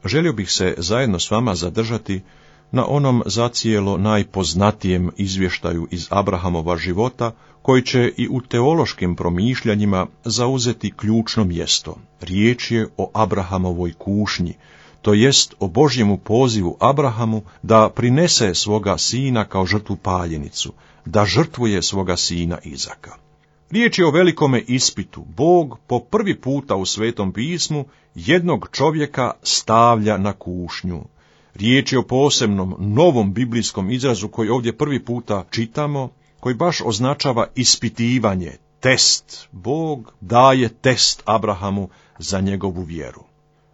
Želio bih se zajedno s vama zadržati na onom zacijelo najpoznatijem izvještaju iz Abrahamova života, koji će i u teološkim promišljanjima zauzeti ključno mjesto. Riječ je o Abrahamovoj kušnji, to jest o Božjemu pozivu Abrahamu da prinese svoga sina kao žrtvu paljenicu, da žrtvuje svoga sina Izaka. Riječ je o velikome ispitu. Bog po prvi puta u Svetom pismu jednog čovjeka stavlja na kušnju. Riječ je o posebnom, novom biblijskom izrazu koji ovdje prvi puta čitamo, koji baš označava ispitivanje, test. Bog daje test Abrahamu za njegovu vjeru.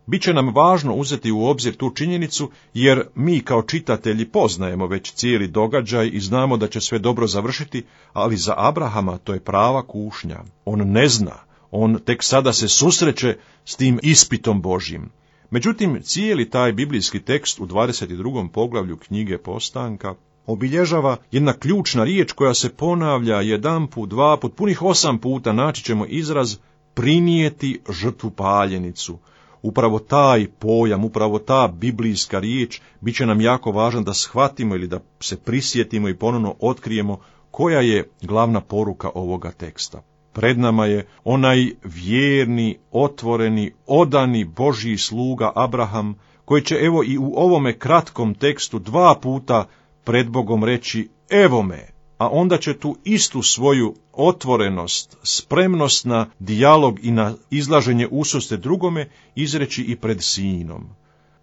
Biće nam važno uzeti u obzir tu činjenicu, jer mi kao čitatelji poznajemo već cijeli događaj i znamo da će sve dobro završiti, ali za Abrahama to je prava kušnja. On ne zna, on tek sada se susreće s tim ispitom Božjim. Međutim, cijeli taj biblijski tekst u 22. poglavlju knjige Postanka obilježava jedna ključna riječ koja se ponavlja jedanput, dvaput, punih 8 puta, naći ćemo izraz prinijeti žrtvu paljenicu. Upravo taj pojam, upravo ta biblijska riječ bit će nam jako važno da shvatimo ili da se prisjetimo i ponovno otkrijemo koja je glavna poruka ovoga teksta. Pred nama je onaj vjerni, otvoreni, odani Božji sluga Abraham, koji će evo i u ovome kratkom tekstu 2 puta pred Bogom reći evo me, a onda će tu istu svoju otvorenost, spremnost na dijalog i na izlaženje ususret drugome izreći i pred sinom.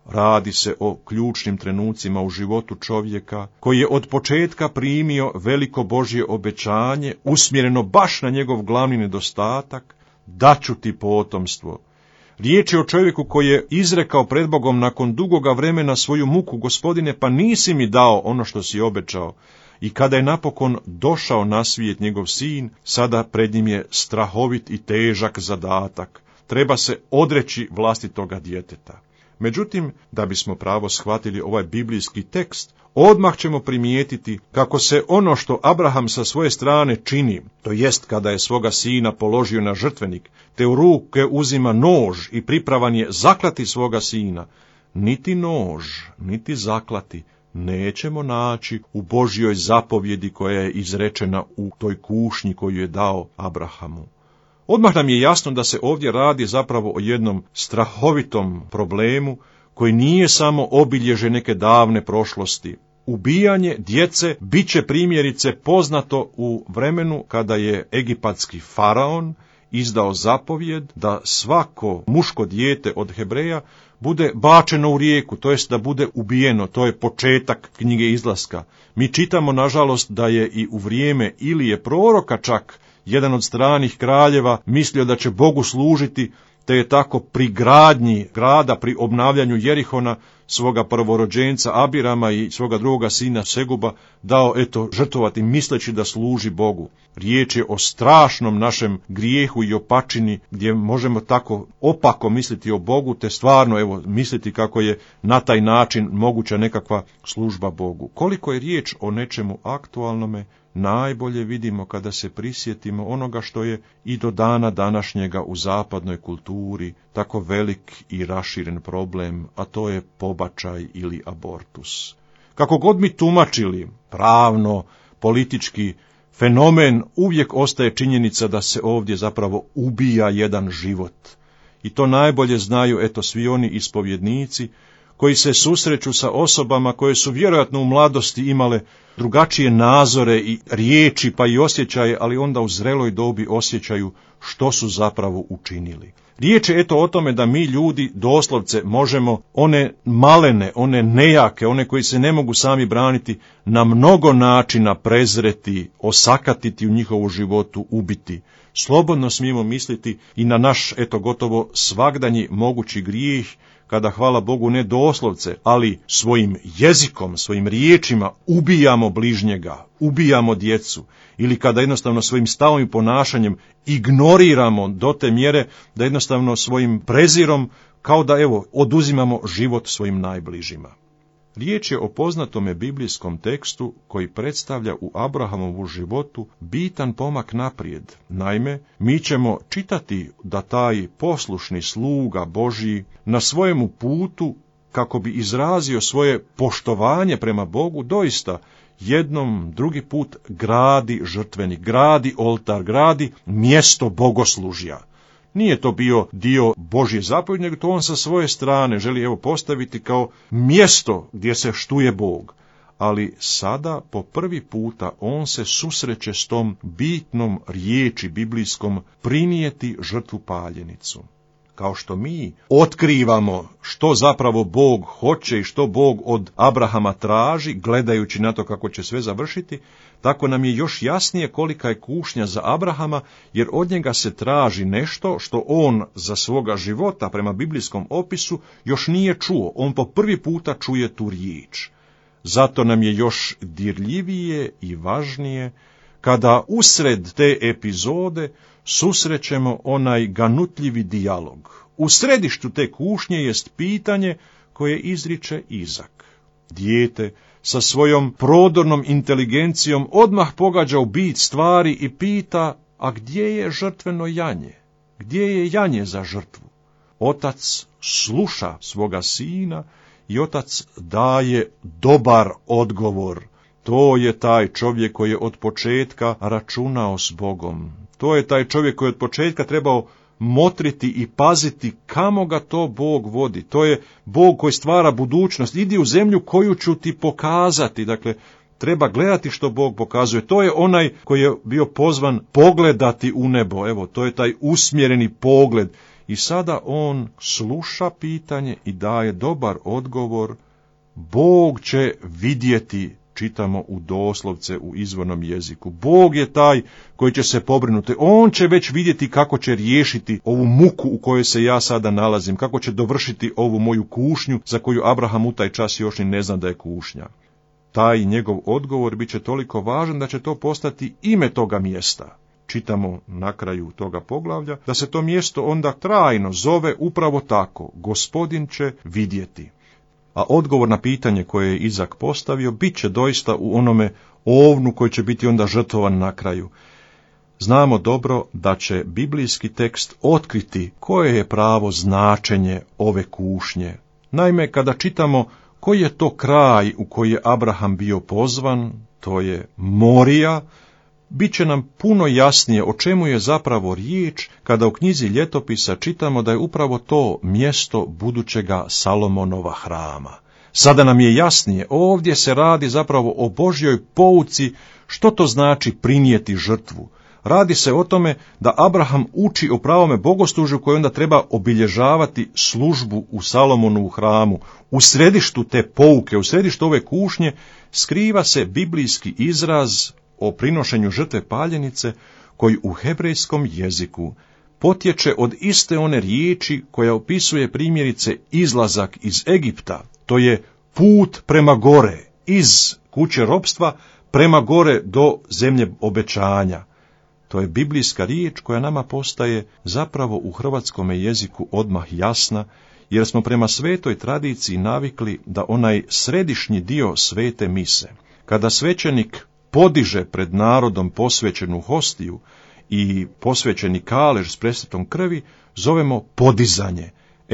Radi se o ključnim trenucima u životu čovjeka koji je od početka primio veliko Božje obećanje, usmjereno baš na njegov glavni nedostatak, daću ti potomstvo. Riječ je o čovjeku koji je izrekao pred Bogom nakon dugoga vremena svoju muku, Gospodine, pa nisi mi dao ono što si obećao. I kada je napokon došao na svijet njegov sin, sada pred njim je strahovit i težak zadatak. Treba se odreći vlastitoga djeteta. Međutim, da bismo pravo shvatili ovaj biblijski tekst, odmah ćemo primijetiti kako se ono što Abraham sa svoje strane čini, to jest kada je svoga sina položio na žrtvenik, te u ruke uzima nož i pripravan je zaklati svoga sina, niti nož, niti zaklati nećemo naći u Božjoj zapovjedi koja je izrečena u toj kušnji koju je dao Abrahamu. Odmah nam je jasno da se ovdje radi zapravo o jednom strahovitom problemu koji nije samo obilježje neke davne prošlosti. Ubijanje djece bit će primjerice poznato u vremenu kada je egipatski faraon izdao zapovjed da svako muško dijete od Hebreja bude bačeno u rijeku, to jest da bude ubijeno. To je početak knjige Izlaska. Mi čitamo, nažalost, da je i u vrijeme Ilije proroka čak jedan od stranih kraljeva mislio da će Bogu služiti, te je tako pri gradnji grada, pri obnavljanju Jerihona, svoga prvorođenca Abirama i svoga drugoga sina Seguba dao žrtvovati misleći da služi Bogu. Riječ je o strašnom našem grijehu i opačini gdje možemo tako opako misliti o Bogu, te stvarno misliti kako je na taj način moguća nekakva služba Bogu. Koliko je riječ o nečemu aktualnome, najbolje vidimo kada se prisjetimo onoga što je i do dana današnjega u zapadnoj kulturi tako velik i raširen problem, a to je pobačaj ili abortus. Kako god mi tumačili pravno, politički fenomen, uvijek ostaje činjenica da se ovdje zapravo ubija jedan život. I to najbolje znaju svi oni ispovjednici koji se susreću sa osobama koje su vjerojatno u mladosti imale drugačije nazore i riječi pa i osjećaje, ali onda u zreloj dobi osjećaju što su zapravo učinili. Riječ je o tome da mi ljudi doslovce možemo one malene, one nejake, one koji se ne mogu sami braniti, na mnogo načina prezreti, osakatiti u njihovu životu, ubiti. Slobodno smijemo misliti i na naš gotovo svagdanji mogući grijeh, kada, hvala Bogu, ne doslovce, ali svojim jezikom, svojim riječima ubijamo bližnjega, ubijamo djecu, ili kada jednostavno svojim stavom i ponašanjem ignoriramo do te mjere da jednostavno svojim prezirom kao da oduzimamo život svojim najbližima. Riječ je o poznatome biblijskom tekstu koji predstavlja u Abrahamovu životu bitan pomak naprijed. Naime, mi ćemo čitati da taj poslušni sluga Božji na svojemu putu kako bi izrazio svoje poštovanje prema Bogu, doista jednom, drugi put gradi žrtvenik, gradi oltar, gradi mjesto bogoslužja. Nije to bio dio Božje zapovjedi, nego to on sa svoje strane želi postaviti kao mjesto gdje se štuje Bog. Ali sada po prvi puta on se susreće s tom bitnom riječi biblijskom prinijeti žrtvu paljenicu. Kao što mi otkrivamo što zapravo Bog hoće i što Bog od Abrahama traži, gledajući na to kako će sve završiti, tako nam je još jasnije kolika je kušnja za Abrahama, jer od njega se traži nešto što on za svoga života, prema biblijskom opisu, još nije čuo. On po prvi puta čuje tu riječ. Zato nam je još dirljivije i važnije kada usred te epizode susrećemo onaj ganutljivi dijalog. U središtu te kušnje jest pitanje koje izriče Izak. Dijete sa svojom prodornom inteligencijom odmah pogađa u bit stvari i pita, a gdje je žrtveno janje? Gdje je janje za žrtvu? Otac sluša svoga sina i otac daje dobar odgovor. To je taj čovjek koji je od početka računao s Bogom. To je taj čovjek koji je od početka trebao motriti i paziti kamo ga to Bog vodi. To je Bog koji stvara budućnost. Idi u zemlju koju ću ti pokazati. Dakle, treba gledati što Bog pokazuje. To je onaj koji je bio pozvan pogledati u nebo. Evo, to je taj usmjereni pogled. I sada on sluša pitanje i daje dobar odgovor. Bog će vidjeti, čitamo u doslovce u izvornom jeziku. Bog je taj koji će se pobrinuti. On će već vidjeti kako će riješiti ovu muku u kojoj se ja sada nalazim, kako će dovršiti ovu moju kušnju za koju Abraham u taj čas još ni ne zna da je kušnja. Taj njegov odgovor bit će toliko važan da će to postati ime toga mjesta. Čitamo na kraju toga poglavlja da se to mjesto onda trajno zove upravo tako, Gospodin će vidjeti. A odgovor na pitanje koje je Izak postavio bit će doista u onome ovnu koji će biti onda žrtvovan na kraju. Znamo dobro da će biblijski tekst otkriti koje je pravo značenje ove kušnje. Naime, kada čitamo koji je to kraj u koji je Abraham bio pozvan, to je Morija, bit će nam puno jasnije o čemu je zapravo riječ kada u knjizi Ljetopisa čitamo da je upravo to mjesto budućega Salomonova hrama. Sada nam je jasnije, ovdje se radi zapravo o Božjoj pouci, što to znači prinijeti žrtvu. Radi se o tome da Abraham uči o pravome bogoslužju koje onda treba obilježavati službu u Salomonovu hramu. U središtu te pouke, u središtu ove kušnje, skriva se biblijski izraz o prinošenju žrtve paljenice, koji u hebrejskom jeziku potječe od iste one riječi koja opisuje primjerice izlazak iz Egipta, to je put prema gore, iz kuće ropstva prema gore do zemlje obećanja. To je biblijska riječ koja nama postaje zapravo u hrvatskome jeziku odmah jasna, jer smo prema svetoj tradiciji navikli da onaj središnji dio svete mise, kada svećenik podiže pred narodom posvećenu hostiju i posvećeni kalež s presvetom krvi, zovemo podizanje.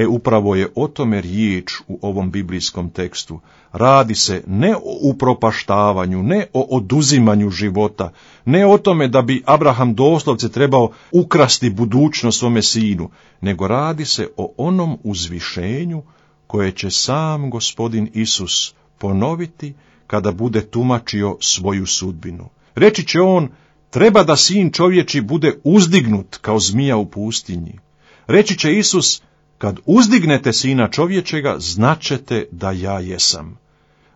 Upravo je o tome riječ u ovom biblijskom tekstu. Radi se ne o upropaštavanju, ne o oduzimanju života, ne o tome da bi Abraham doslovce trebao ukrasti budućnost svome sinu, nego radi se o onom uzvišenju koje će sam Gospodin Isus ponoviti kada bude tumačio svoju sudbinu. Reći će on, treba da sin čovječi bude uzdignut kao zmija u pustinji. Reći će Isus, kad uzdignete sina čovječega, značete da ja jesam.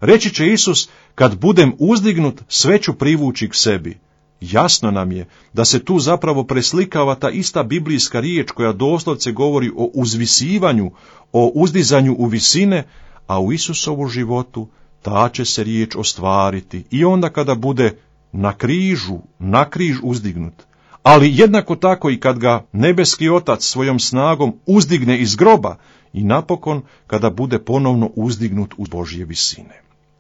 Reći će Isus, kad budem uzdignut, sve ću privući k sebi. Jasno nam je da se tu zapravo preslikava ta ista biblijska riječ koja doslovce govori o uzvisivanju, o uzdizanju u visine, a u Isusovu životu ta će se riječ ostvariti i onda kada bude na križ uzdignut. Ali jednako tako i kad ga nebeski Otac svojom snagom uzdigne iz groba i napokon kada bude ponovno uzdignut u Božje visine.